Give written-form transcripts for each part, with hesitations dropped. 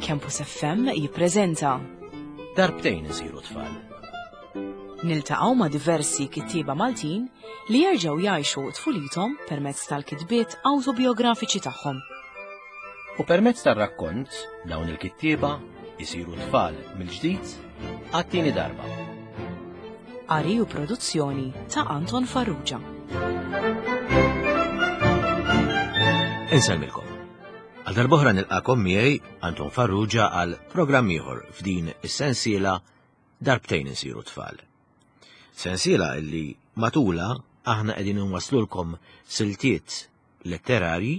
Campus FM jippreżenta Darbtejn isiru tfal. Niltaqgħu ma' diversi kittieba Maltin li jerġgħu jgħixu tfulithom permezz tal-kitbiet awtobiografiċi tagħhom. U permezz tar-rakkont dawn il-kittieba jsiru tfal mill-ġdid għat-tieni darba. Qari u produzzjoni ta' Anton Farrugia. Insellmilkom. Għal darbohra nilqakom miegħi Anton Farrugia għal programm ieħor f'din is-sensiela Darbtejn insiru tfal. Sensiela illi matula aħna qegħdin inwaslulkom siltiet letterarji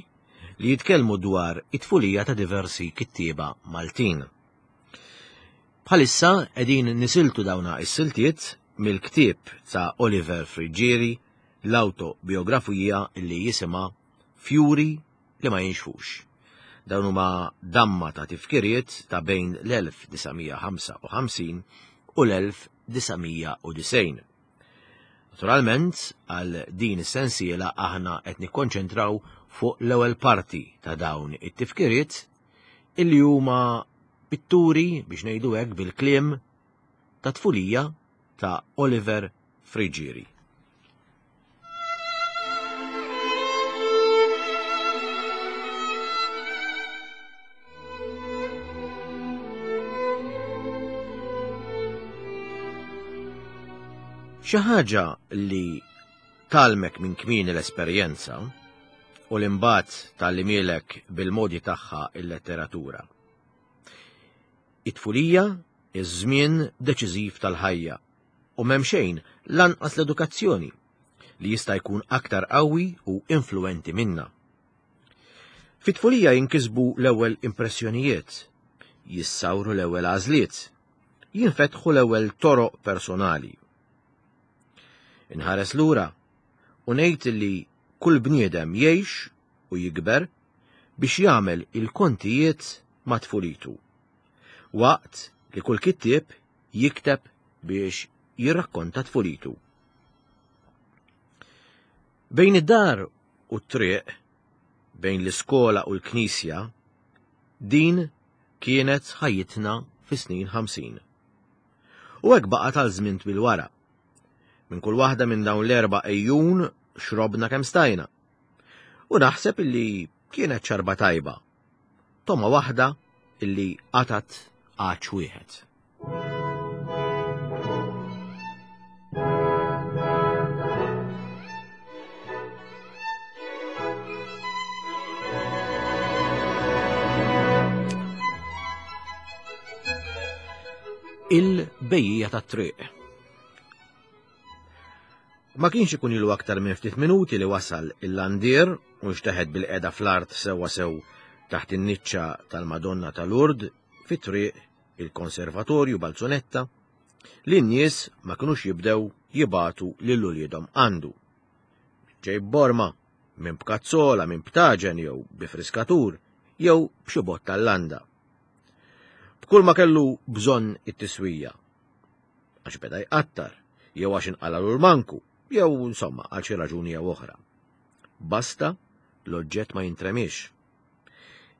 li jitkellmu dwar it-tfulija ta' diversi kittieba Maltin. Bħalissa qegħdin nisiltu dawna is-siltiet mill-ktieb ta' Oliver Friggieri l-awtobiografija li jisimha Fjuri li ma jinxfux. Dawn huma damma ta' tifkiriet ta' bejn l-1955 u l-1990. Naturalment, għal din is-sensiela aħna qed nikkonċentraw fuq l-ewwel parti ta' dawn it-tifkiriet illi huma pitturi biex ngħidu hekk bil-kliem ta' tfulija ta' Oliver Friggieri. Xi ħaġa li talmek minn kmieni l-esperjenza u li mbagħad tgħallimilek bil-modi tagħha il-letteratura. It-tfulija, iż-żmien deċiżiv tal-ħajja u m'hemm xejn lanqas l-edukazzjoni li jista' jkun aktar qawwi u influwenti minna. Fit-tfulija jinkisbu l-ewwel impressjonijiet, jissawru l-ewwel għażliet, jinfetħu l-ewwel toroq personali. Inħares lura u ngħid li kull bniedem jgħix u jikber biex jagħmel il-kontijiet ma' tfulitu. Waqt li kull kittieb jikteb biex jirrakkonta tfulitu. Bejn id-dar u t-triq, bejn l-iskola u l-knisja, din kienet ħajjitna fis-snin 50. U hekk baqgħet għal żmien twil wara. Minn kull waħda minn dawn l-erba' ejjun xrobna kemm stajna. U naħseb illi kienet xarba tajba. Toma waħda illi qatat għaċ wieħed. Il-bejja tat-triq. Ma kienx ikun ilu aktar minn ftit minuti li wasal il-landier u nxteħet bil-qeda fl-art sewwa sew taħt in-niċċa tal-Madonna ta' Lourdes fi triq il-Konservatorju Balzunetta li n-nies ma kinux jibdew jibatu lil uliedhom għandu. Ġej borma, minn b'kazzola, minn b'taġen jew bi friskatur jew b'xi bott tal-landa. B'kull ma kellu bżonn it-tiswija. Għax beda jqattar, jew għax inqalalu l-manku, jew insomma għal xi raġuni jew oħra. Basta l-oġġett ma jintremiex.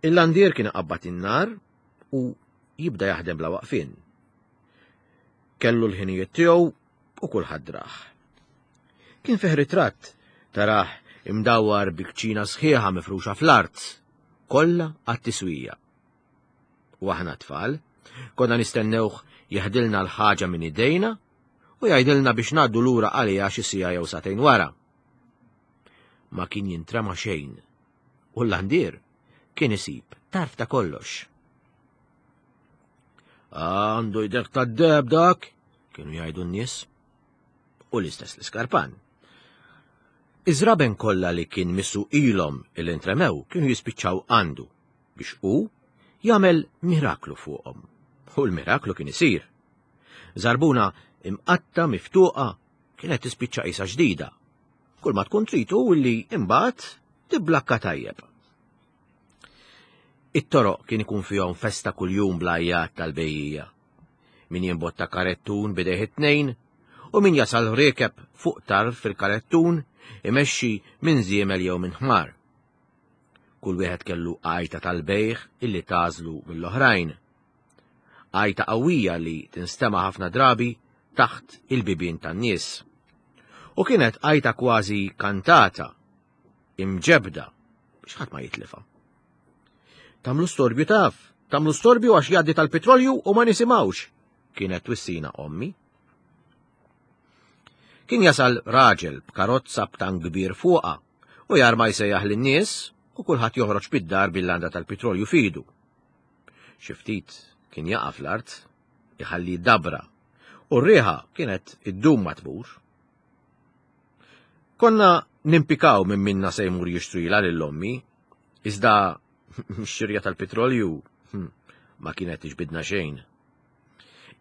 Il-landier kien iqabbad in-nar u jibda jaħdem bla waqfien. Kellu l-ħinijiet tiegħu u kulħadd drah. Kien fih ritratt tarah imdawwar bi kċina sħiħa mifruxa fl-art, kollha għat-tiswija. U aħna tfal, konna nistennewh jeħdilna l-ħaġa minn idejna u jgħidilna biex ngħaddu lura għaliha xi siegħa jew sagħtejn wara. Ma kien jintrema xejn u l-landier kien isib tarf ta' kollox. Għandu jdek ta' deb dak, kienu jgħidu n-nies. U l-istess l-iskarpan. Iż-żraben kollha li kien missu ilhom il-intremew kienu jispiċċaw għandu biex hu jagħmel miraklu fuqhom. U l-miraklu kien isir. Żarbuna imqatta miftuqa kienet tispiċċa qisha ġdida Kull ma tkun trid hu li imbagħad tibblakka tajjeb. It-toroq kien ikun fihom festa kuljum bl-għajjat tal-bejjija. Min jimbotta karettun bidejh it-tnejn u min jasal riekeb fuq tarf fil-karettun imexxi minn żiemel jew minn ħmar. Kull wieħed kellu għajta tal-bejgħ illi tagħżlu mill-oħrajn. Għajta qawwija li tinstema' ħafna drabi taħt il-bibien tan-nies. U kienet għajta kważi kantata, imġebda, biex ħadd ma jitlifha. Tamlu storbju taf, tamlu storbju għax jgħaddi tal-petrolju u ma nisimgħux, kienet twissina ommi. Kien jasal raġel b'karozza b'tank kbir fuqha u jarma jsejjaħ lin-nies u kulħadd joħroġ bid-dar bil-landa tal-pitrolju fidu. Xi ftit kien jaqa' fl-art, iħalli dabra, u r-riħa kienet iddum ma tmur. Konna nimpikaw minn minna se jmur jixtrila lil ommi, iżda x-xirja tal-pitrolju hm, ma kienet tiġbidna xejn.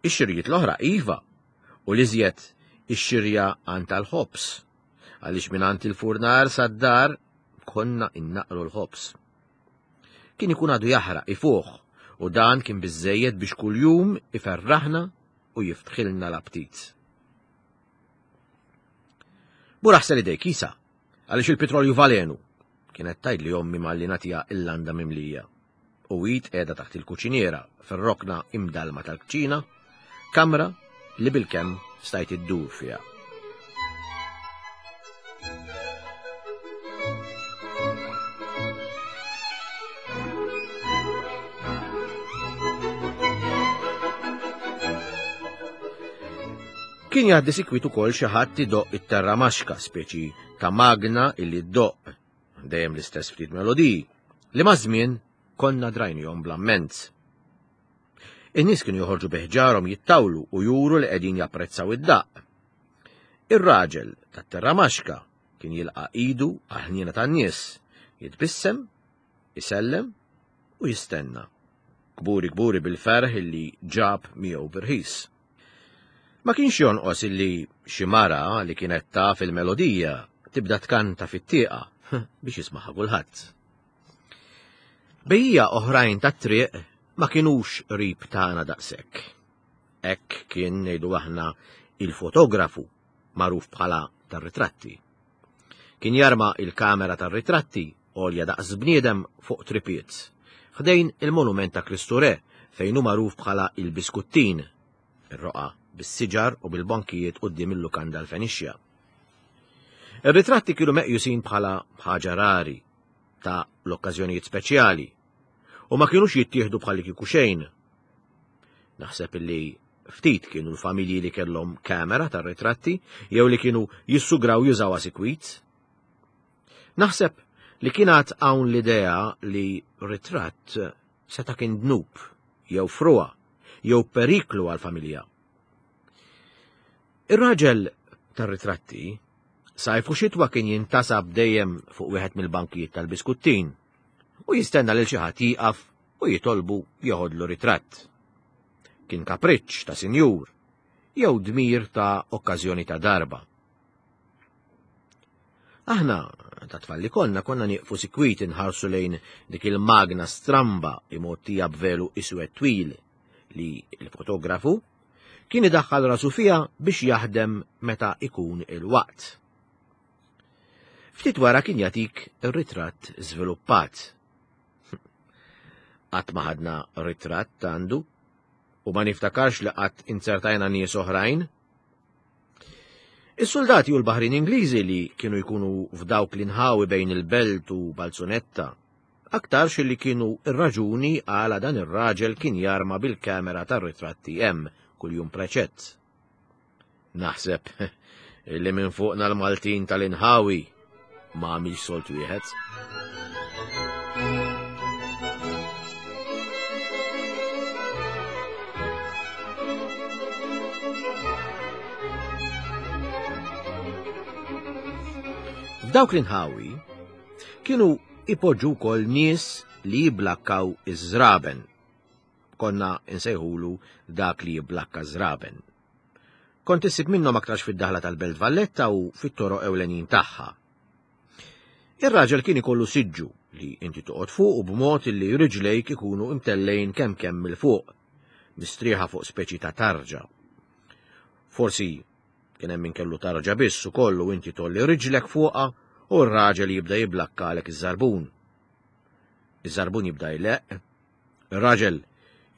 Ix-xirjiet l-oħra iva, u l-iżjed ix-xirja għand tal-ħobż, għaliex minn għand il-furnar sad-dar konna innaqru l-ħobż. Kien ikun għadu jaħraq ifuħ u dan kien biżżejjed biex kuljum iferraħna u jiftħilna l-aptit. Mur aħsel idejk isa, għaliex il-pitrolju valenu, kienet tgħidli ommi malli nagħtiha il-landa mimlija. U hi tqiegħda taħt il-kuċiniera fir-rokna imdallma tal-kċina, kamra li bilkemm stajt iddur fiha. Kien jgħaddi sikwit ukoll xi ħadd idoqq it-terramaxka, speċi ta' magna illi ddoqq dejjem l-istess ftit melodiji, li maż-żmien konna drajnihom bl-amment. In-nies kienu joħorġu bi ħġarhom jittawlu u juru li qegħdin japprezzaw id-daqq. Ir-raġel tat-terramaxka kien jilqa' idu għall-ħniena tan-nies, jitbissem, isellem u jistenna. Kburi kburi bil-ferħ illi ġab miegħu b'irħis. Ma kienx jonqos illi xi mara li kienet taf il-melodija tibda tkanta fit-tieqa biex jismaħa kulħadd. Bejja oħrajn tat-triq ma kinux qrib tagħna daqshekk. Hekk kien ngħidu aħna il-fotografu magħruf bħala tar-ritratti. Kien jarma il-kamera tar-ritratti għolja daqs bniedem fuq tripiet, ħdejn il-monument ta' Kristu Re fejn hu magħruf bħala il-Biskuttin, ir-roqgħa bis-siġar u bil-bankijiet quddiem il-lukanda l-Fenixja. Ir-ritratti kienu meqjusin bħala ħaġa rari ta' l-okkażjonijiet speċjali u ma kienux jittieħdu bħalli kieku xejn. Naħseb illi ftit kienu l-familji li kellhom kamera tar-ritratti jew li kienu jissugraw jużawha sikwit. Naħseb li kien għad hawn l-idea li ritratt seta' kien dnub jew frugħa jew periklu għall-familja. Ir-raġel tar-ritratti sajf u xitwa kien jintasab dejjem fuq wieħed mill-bankijiet tal-biskuttin u jistenna lil xi ħadd jieqaf u jitolbu jeħodlu ritratt. Kien kapriċċ ta' sinjur jew dmir ta' okkażjoni ta' darba. Aħna, ta' tfal li konna, konna nieqfu sikwit inħarsu lejn dik il-magna stramba imgħottija b'velu iswed twil li l-fotografu kien idaħħal rasu fiha biex jaħdem meta ikun il-waqt. Ftit wara kien jagħtik ir-ritratt żviluppat. Qatt ma ħadna ritratt għandu u ma niftakarx li qatt inzertajna nies oħrajn. Is-suldati u l-baħrin Ingliżi li kienu jkunu f'dawk l-inħawi bejn il-belt u Balzunetta, aktarx li kienu ir-raġuni għala dan ir-raġel kien jarma bil-kamera tar-ritratti hemm kuljum preċett. Naħseb li minn fuqna l-Maltin tal-inħawi ma għamilx solt wieħed. F'dawk l-inħawi kienu ipoġġu wkoll nies li jiblakkaw iż-żraben. Konna insejħulu dak li jiblakka żraben. Kont issib minnhom aktarx fid-daħla tal-Belt Valletta u fit-toroq ewlenin tagħha. Ir-raġel kien ikollu siġġu li inti toqgħod fuq u b'mod li riġlejk ikunu imtellejn kemm kemm 'il fuq, mistrieħa fuq speċi ta' tarġa. Forsi kien hemm min kellu tarġa biss ukoll u inti tolli riġlek fuqha u r-raġel jibda jiblakkalek iż-żarbun. Iż-żarbun jibda jleqq, ir-raġel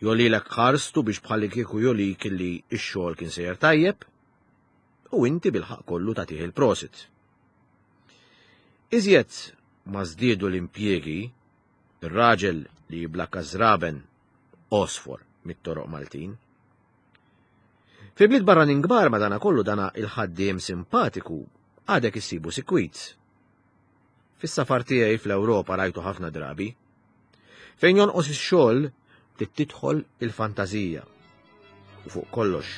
jolilek ħarstu biex bħalli kieku jolik illi x-xogħol kien sejjer tajjeb, u inti bil-ħaqq kollu tagħtih il-prosit. Iżjed ma żdiedu l-impjiegi, ir-raġel li jiblakka żraben għosfor mit-toroq Maltin. Fi bliet barranin kbar madanakollu dana il-ħaddiem simpatiku għadek issibu sikwit. Fis-safar tiegħi fl-Ewropa rajtu ħafna drabi. Fejn jonqos ix-xogħol trid tidħol il-fantażija. U fuq kollox,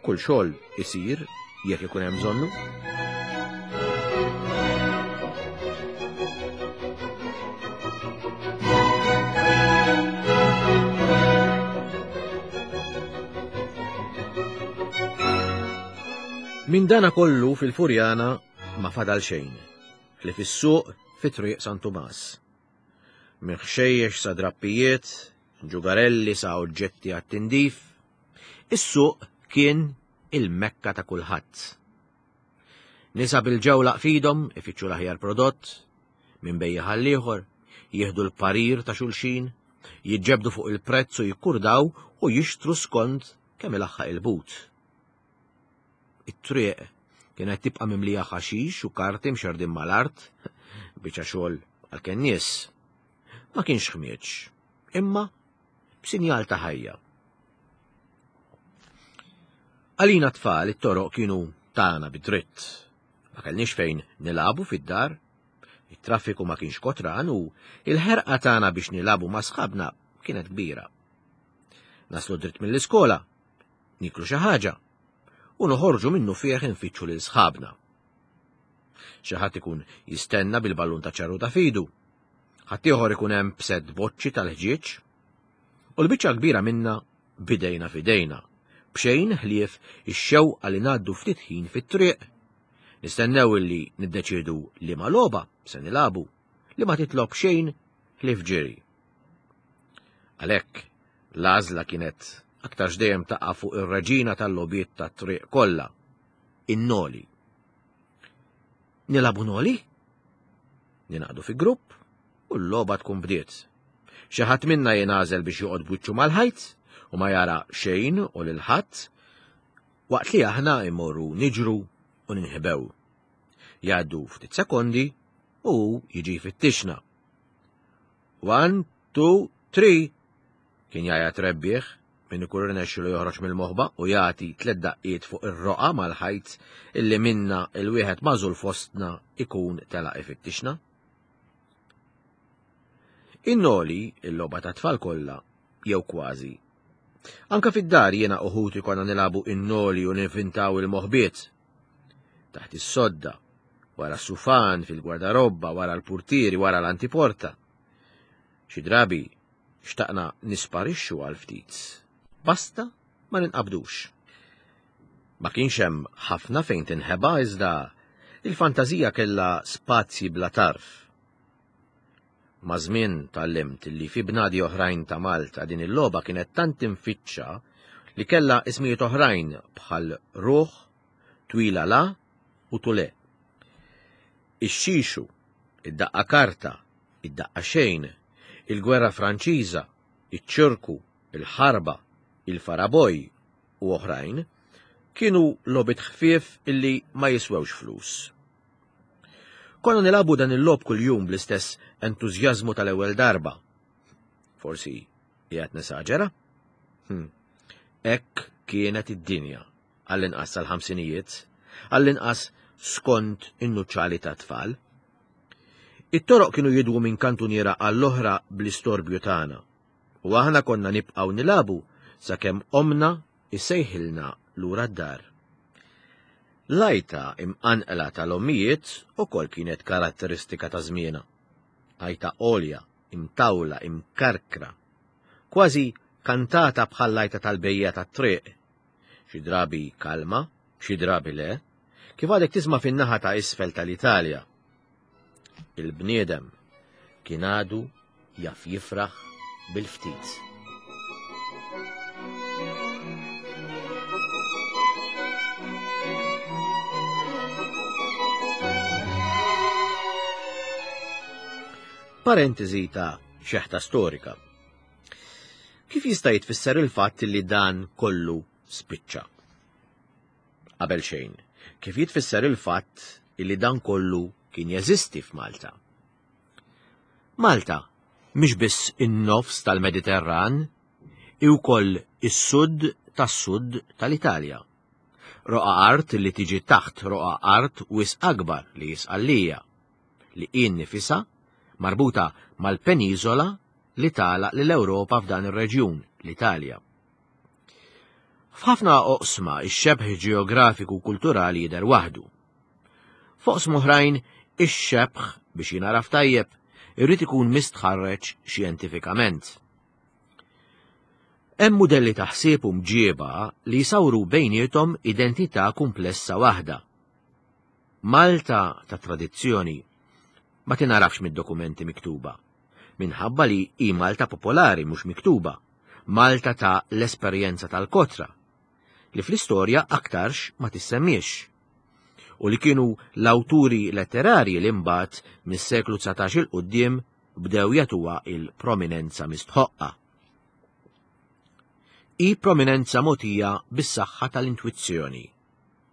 kull xogħol isir jekk ikun hemm bżonnu. Minn dana kollu fil-Furjana ma fadal xejn, ħlief is-suq fi Triq San Tumas. Minn ħxejjex sa drappijiet, ġugarelli sa oġġetti għat-tindif, is-suq kien il-mekka ta' kulħadd. Nisa bil-ġewlaq f'idhom ifittxu l-aħjar prodott, minn bejjiegħ għall-ieħor, jieħdu l-parir ta' xulxin, jiġġebdu fuq il-prezz u jikkurdaw u jixtru skont kemm ilaħħaq il-but. It-triq kienet tibqa' mimlija ħaxix u karti mxerrdin mal-art, biċċa xogħol għall-kennies. Ma kienx ħmieġ, imma b'sinjal ta' ħajja. Għalina tfal it-toroq kienu tagħna bid-dritt. Ma kellniex fejn nilagħbu fid-dar, it-traffiku ma kienx kotran u il-ħerqa tagħna biex nilagħbu ma' sħabna kienet kbira. Naslu dritt mill-iskola, niklu xi ħaġa u noħorġu minnu fih infittxu lil sħabna. Xi ħadd ikun jistenna bil-ballun ta' ċarru ta' fidu, ħaddieħor ikun hemm b'sett boċċi tal-ħġieġ, u l-biċċa kbira minna bidejna fidejna, b'xejn ħlief ix-xewqa li ngħaddu ftit ħin fit-triq. Nistennew illi niddeċiedu liema logħba se nilagħbu li ma titlob xejn ħlief ġiri. Għalhekk, l-għażla kienet aktarx dejjem taqa' fuq ir-reġina tal-logħbiet tat-triq kollha, in-noli. Nilagħbu noli? Ninaqdu fi grupp u l-logħba tkun bdiet. Xi ħadd minna jingħażel biex joqgħod b'wiċċu mal-ħajt u ma jara xejn u lil ħadd waqt li aħna immorru niġru u ninħbew. Jgħaddu ftit sekondi u jiġi jfittixna. One, two, three! Kien jgħajjat rebbieħ min ikun irnexxilu joħroġ mill-moħba u jagħti tliet daqqiet fuq ir-roqgħa mal-ħajt illi minna il-wieħed magħżul fostna ikun telaq ifittixna. In-noli, il-logħba tat-tfal kollha, jew kważi. Anka fid-dar jiena u ħuti konna nilagħbu in-noli u ninvintaw il-moħbiet. Taħt is-sodda, wara s-sufan, fil-gwardarobba, wara l-purtieri, wara l-antiporta. Xi drabi xtaqna nisparixxu għal ftit. Basta ma ninqabdux. Ma kienx hemm ħafna fejn tinħeba iżda il-fantażija kellha spazji bla tarf. Maż-żmien tgħallimt li fi bnadi oħrajn ta' Malta din il-logħba kienet tant imfittxa li kellha ismijiet oħrajn bħal ruħ, twila la u tule. Ix-xixu, id-daqqa karta, id-daqqa xejn, il-gwerra Franċiża, iċ-ċirku, il-ħarba, il-faraboj u oħrajn kienu logħbiet ħfief illi ma jiswewx flus. Konna nilagħbu dan il-logħob kuljum bl-istess entużjażmu tal-ewwel darba. Forsi qiegħed nesaġera? Hmm. Hekk kienet id-dinja għall-inqas sal-ħamsinijiet, għall-inqas skont in-nuċċali tat-tfal. It-toroq kienu jidwu minn kantuniera għall-oħra bl-istorbju tagħna, u aħna konna nibqgħu nilagħbu sakemm ommna issejħilna lura d-dar. L-għajta imqanqla tal-ommijiet ukoll kienet karatteristika ta' żmienha. Għajta għolja, imtawla, imkarkra, kważi kantata bħall-għajta tal-bejjiegħa tat-triq xi drabi kalma, xi drabi le, kif għadek tisma' fin-naħa ta' isfel tal-Italja. Il-bniedem kien għadu jaf jifraħ bil-ftit. Parentesi ta' xeħta storika. Kif jista' jitfisser il-fatt li dan kollu spiċċa? Qabel xejn, kif jitfisser il-fatt li dan kollu kien jeżisti f'Malta? Malta mhix biss in-nofs tal-Mediterran, hi wkoll is-sud tas-sud tal-Italja. Roqgħa art li tiġi taħt roqgħa art wisq akbar li hi Sqallija, li hi nnifisha marbuta mal-peniżola li tagħlaq lill-Ewropa f'dan ir-reġjun, l-Italja. F'ħafna oqsma x-xebh ġeografiku u kulturali jidher waħdu. F'oqsma oħrajn ix-xebh biex jingħaraf tajjeb irid ikun mistħarreġ xjentifikament. Hemm mudelli ta' ħsieb u mġieba li jsawru bejniethom identità kumplessa waħda. Malta ta' tradizzjoni ma tingħarafx mid-dokumenti miktuba, minħabba li hi Malta popolari mhux miktuba, Malta ta' l-esperjenza tal-kotra, li fl-istorja aktarx ma tissemmiex, u li kienu l-awturi letterarji li mbagħad mis-seklu 19 il quddiem bdew jagħtuha il-prominenza mistħoqqa. Hi prominenza mogħtija bis-saħħa tal-intwizzjoni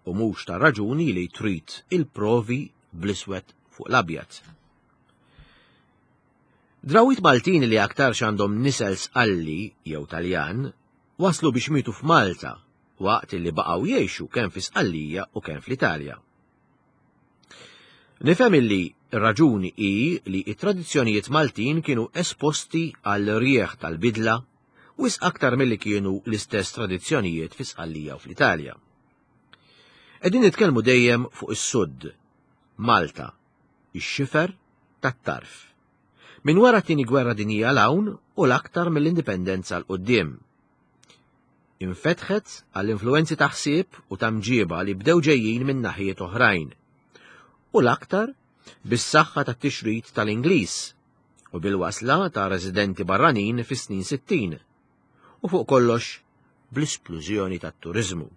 u mhux tar-raġuni li trid il-provi bl-iswed fuq l-abjad. Drawwiet Maltin li aktarx għandhom nisel Sqalli jew Taljan waslu biex mietu f'Malta waqt li baqgħu jgħixu kemm fi Sqallija u kemm fl-Italja. Nifhem illi r-raġuni hi li t-tradizzjonijiet Maltin kienu esposti għal rieħ tal-bidla wisq aktar milli kienu l-istess tradizzjonijiet fi Sqallija u fl-Italja. Qegħdin nitkellmu dejjem fuq is-Sud, Malta, ix-xifer tat-tarf. Minn wara t-Tieni Gwerra Dinjija 'l hawn u l-aktar mill-Indipendenza 'l quddiem. Infetħet għall-influwenzi ta' ħsieb u ta' mġieba li bdew ġejjin minn naħijiet oħrajn. U l-aktar bis-saħħa tat-tixrid tal-Ingliż u bil-wasla ta' residenti barranin fis-snin 60 u fuq kollox bl-isplużjoni tat-turiżmu.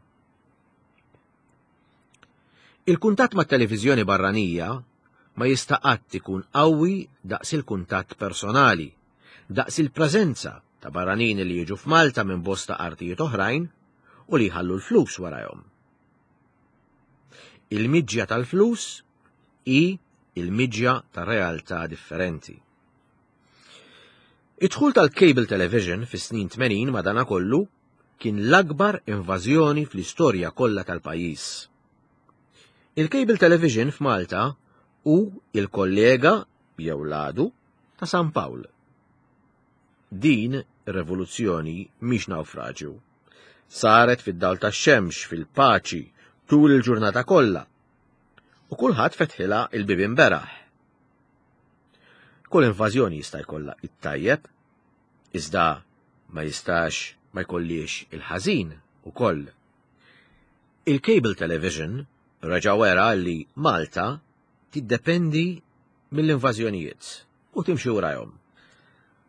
Il-kuntatt mat-televiżjoni barranija ma jista' qatt ikun qawwi daqs il-kuntatt personali, daqs il-preżenza ta' barranin li jiġu f'Malta minn bosta artijiet oħrajn u li jħallu l-flus warajhom. Il-miġja tal-flus hi il-miġja ta' realtà differenti. Id-dħul tal-cable television fis-snin 80 madanakollu kien l-akbar invażjoni fl-istorja kollha tal-pajjiż. Il-cable television f'Malta hu il-kollega jew l-għadu ta' San Pawl. Din ir-revoluzzjoni mhix nawfraġju. Saret fid-dawl tax-xemx, fil-paċi, tul il-ġurnata kollha. U kulħadd fetħilha il-bibien beraħ. Kull invażjoni jista' jkollha it-tajjeb, iżda ma jistax ma jkollix il-ħażin ukoll. Il-cable television reġa' wera li Malta tiddependi mill-invażjonijiet u timxi warajhom.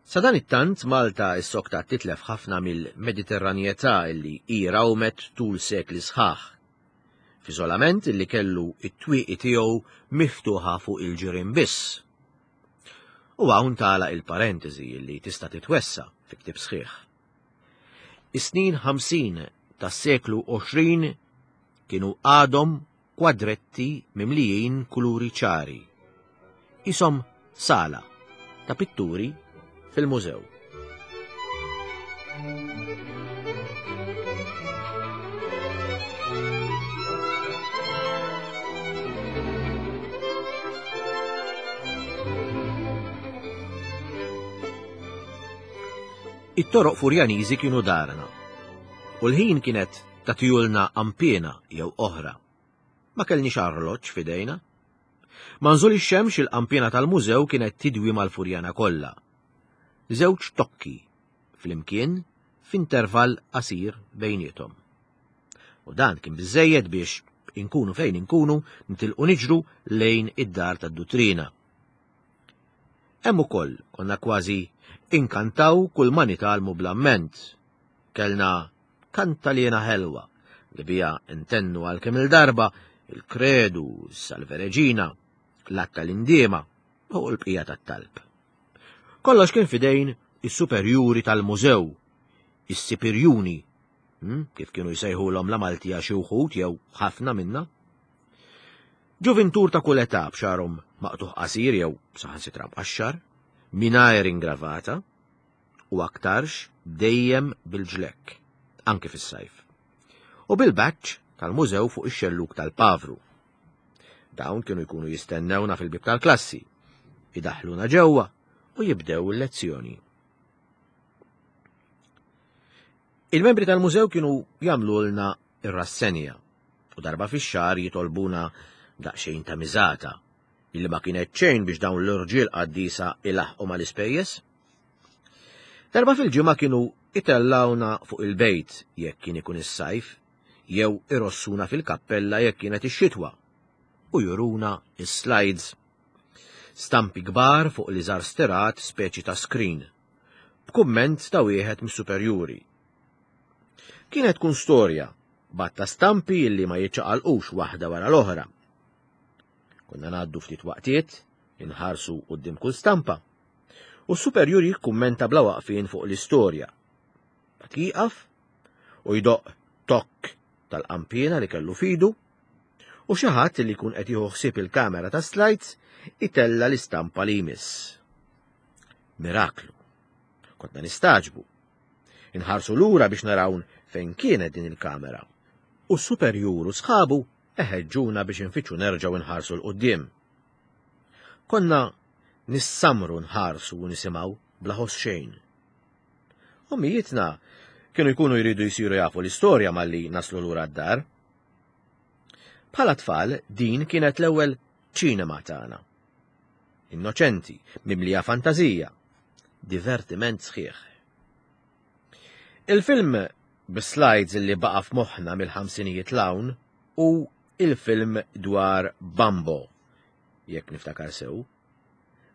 Sadanittant Malta issoktat titlef ħafna mill-Mediterranjetà illi hi rawmet tul sekli sħaħ, f'iżolament illi kellu t-twieqi tiegħu miftuħa fuq il-ġirien biss. U hawn tagħlaq il-parentesi illi tista' titwessa' fi ktieb sħiħ. Is-snin 50 tas-seklu 20 kienu għadhom kwadretti mimlijin kuluri ċari. Qishom sala ta' pitturi fil-mużew. It-toroq Furjaniżi kienu darna u l-ħin kienet tagħtihulna qanpiena jew oħra. Ma kellniex arloġġ f'idejna. Ma' nżul ix-xemx il-qanpiena tal-mużew kienet tidwi mal-Furjana kollha. Żewġ tokki flimkien f'intervall qasir bejniethom. U dan kien biżżejjed biex inkunu fejn inkunu nitilqu niġru lejn id-dar tad-duttrina. Hemm ukoll konna kważi inkantaw kull ma nitgħallmu bl-amment. Kellna kantaliena ħelwa li biha ntennu għal kemm-il darba il-Kredu, s-Salve Reġina, l-Att tal-Indiema u l-bqija tat-talb. Kollox kien fidejn is-superjuri tal-mużew, is-sipirjuni, kif kienu jsejħulhom la Maltija xi wħud jew ħafna minna. Ġuvintur ta' kull età b'xagħarhom maqtugħ qasir jew saħansitra mqaxxar, mingħajr ingravata, u aktarx dejjem bil-ġlekk, anki fis-sajf. U bil-badge tal-mużew fuq ix-xellug tal-pavru. Dawn kienu jkunu jistennewna fil-bieb tal-klassi, idaħħluna ġewwa u jibdew il-lezzjoni. Il-membri tal-mużew kienu jagħmlulna ir-rassenja u darba fix-xahar jitolbuna daqsxejn ta' miżata illi ma kienet xejn biex dawn l-irġiel qaddisa ilaħqu mal-ispejjeż. Darba fil-ġimgħa kienu itellawna fuq il-bejt jekk kien ikun is-sajf jew irossuna fil-kappella jekk kienet ix-xitwa u juruna is-slides. Stampi kbar fuq l-iżgħar stirat speċi ta' screen, b'kumment ta' wieħed mis-superjuri. Kienet tkun storja, batta stampi illi ma jiċċaqalqux waħda wara l-oħra. Konna ngħaddu ftit waqtiet, inħarsu quddiem kull stampa, u s-superjur jikkummenta bla waqfien fuq l-istorja. Bat jieqaf u jdoqq tokk tal-qanpiena li kellu fidu, u xi ħadd li jkun qed jieħu ħsieb il-kamera ta' slides itella l-istampa li jmiss. Miraklu. Konna nistaġbu. Inħarsu lura biex naraw fejn kienet din il-kamera. U s-superjur u sħabu eħeġġuna biex infittxu nerġgħu nħarsu 'l quddiem. Konna nissamru nħarsu u nisimgħu bla ħoss xejn. Ommijietna kienu jkunu jridu jsiru jafu l-istorja malli naslu lura d-dar. Bħala tfal din kienet l-ewwel ċinema tagħna. Innoċenti, mimlija fantażija, divertiment sħiħ. Il-film bi-slides li baqa' f'moħħna mill-ħamsinijiet l-hawn hu il-film dwar Bambo, jekk niftakar sew.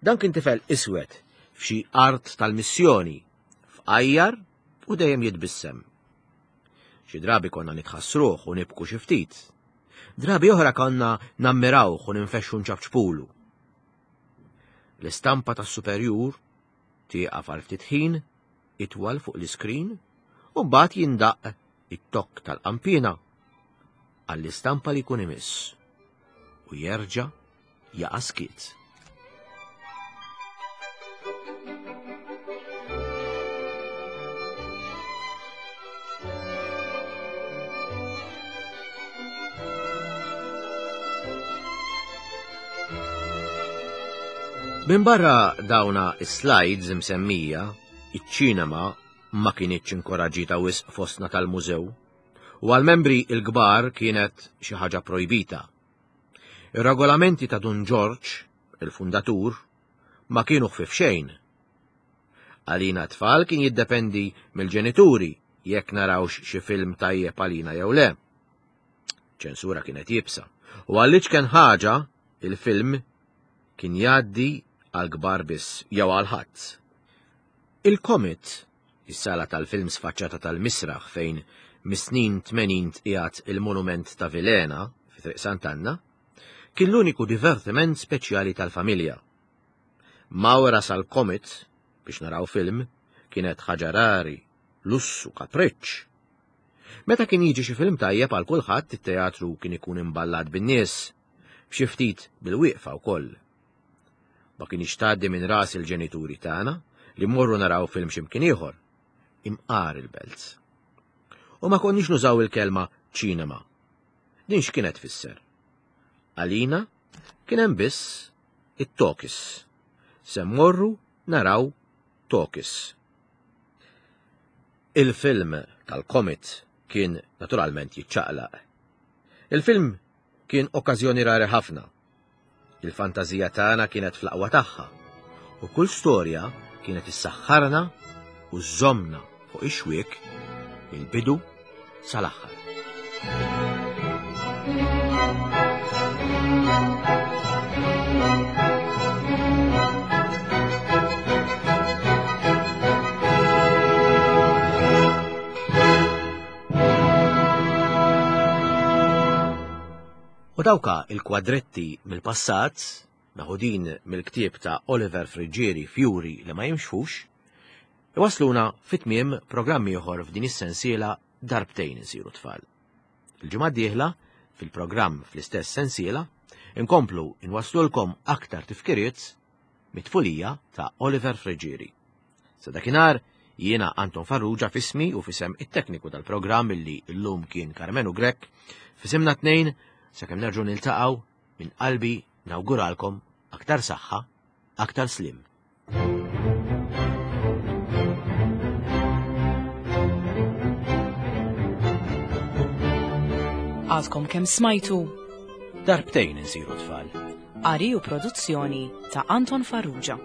Dan kien tifel iswed f'xi art tal-missjoni, fqajjar u dejjem jitbissem. Xi drabi konna nitħassruh u nibku xi ftit. Drabi oħra konna nammirawh u ninfexxu nċapċpulu. L-istampa tas-superjur tieqaf għal ftit ħin itwal fuq l-iskrin u mbagħad jindaqq it-tokk tal-qanpiena għall-istampa li jkun imiss u jerġa' jaqa' skiet. Minbarra dawna is-slides imsemmija, iċ-ċinema ma kinitx inkoraġġita wisq fostna tal-mużew u għall-membri l-kbar kienet xi ħaġa projbita. Ir-regolamenti ta' Dun Ġorġ, il-fundatur, ma kienu ħfief xejn. Għalina t-tfal kien jiddependi mill-ġenituri jekk narawx xi film tajjeb għalina jew le. Ċensura kienet iebsa u għall-iċken ħaġa il-film kien jgħaddi għall-kbar biss jew għal ħadd. Il-Comet, is-sala tal-films faċċata tal-misraħ fejn mis-snin 80 tqiegħed il-monument ta' Vilhena fi Triq Sant'Anna, kien l-uniku divertiment speċjali tal-familja. Mawra sal-Comet biex naraw film kienet ħaġa rari, lussu, kapriċċ. Meta kien jiġi xi film tajjeb għal kulħadd it-teatru kien ikun imballat bin-nies, b'xi ftit bil-wieqfa wkoll. Ma kinitx tgħaddi minn ras il-ġenituri tagħna li mmorru naraw film xi mkien ieħor, imqar il-belt. U ma konniex nużaw il-kelma ċinema. Din x'kienet tfisser? Għalina kien hemm biss it-tokis. Se mmorru naraw tokis. Il-film tal-Comet kien naturalment jiċċaqlaq. Il-film kien okkażjoni rari ħafna. Il-fantażija tagħna kienet fl-aqwa tagħha u kull storja kienet issaħħarna u żżommna fuq ix-xwiek mill-bidu sal-aħħar. U dawka il-kwadretti mill-passat meħudin mill-ktieb ta' Oliver Friggieri Fjuri li ma jimxux, iwassluna fi tmiem programm ieħor f'din is-sensiela Darbtejn insiru tfal. Il-ġimgħa d-dieħla, fil-programm fl-istess sensiela, inkomplu inwasslulkom aktar tifkiriet mit-tfulija ta' Oliver Friggieri. Sa dakinhar, jiena Anton Farrugia f'ismi u f'isem it-tekniku tal-programm illi llum kien Karmenu Grech, f'isimna tnejn, sakemm nerġgħu niltaqgħu, minn qalbi nawguralkom aktar saħħa, aktar slim. Għadkom kemm smajtu Darbtejn insiru tfal. Qari u produzzjoni ta' Anton Farrugia.